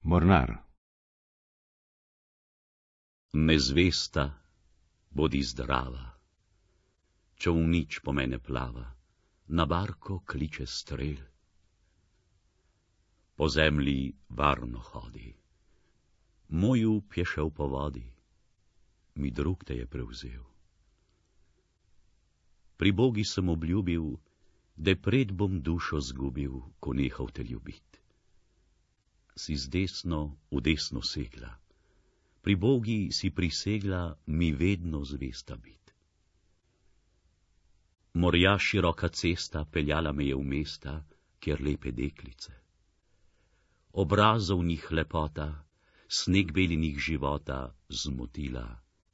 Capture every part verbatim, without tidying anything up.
Mornar. Nezvesta, bodi zdrava, čolnič po mene plava, na barko kliče strel. Po zemlji varno hodi, moj up je šel po vodi, mi drug te je prevzel. Pri Bogi sem obljubil, da pred bom dušo zgubil, ko nehal te ljubit. Si z desno v desno segla, pri Bogi si prisegla mi vedno zvesta bit. Morja široka cesta peljala me je v mesta, kjer lepe deklice. Obrazov njih lepota, sneg belinih života zmotila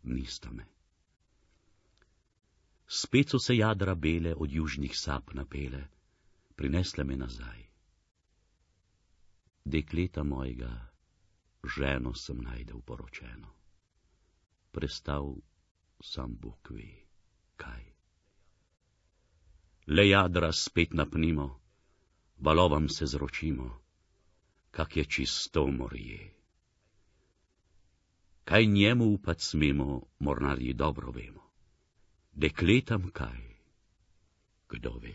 nista me. Spet so se jadra bele od južnih sap napele, prinesle me nazaj. Dekleta mojega, ženo sem najdel poročeno. Prestal sam Bog ve, kaj. Le jadra spet napnimo, valovam se zročimo, kak je čisto morje. Kaj njemu upat smemo, mornarji dobro vemo. Dekletam kaj, kdo ve.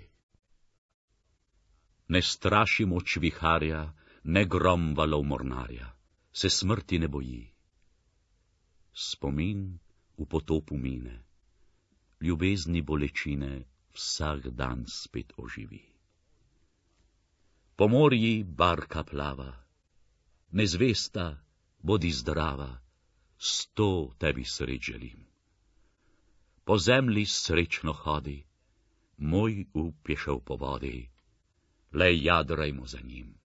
Ne straši moč viharja, ne grom valov mornarja, se smrti ne boji. Spomin v potopu mine, ljubezni bolečine vsak dan spet oživi. Po morji barka plava, nezvesta, bodi zdrava, sto tebi sreč želim. Po zemlji srečno hodi, moj up je šel po vodi, le jadrajmo za njim.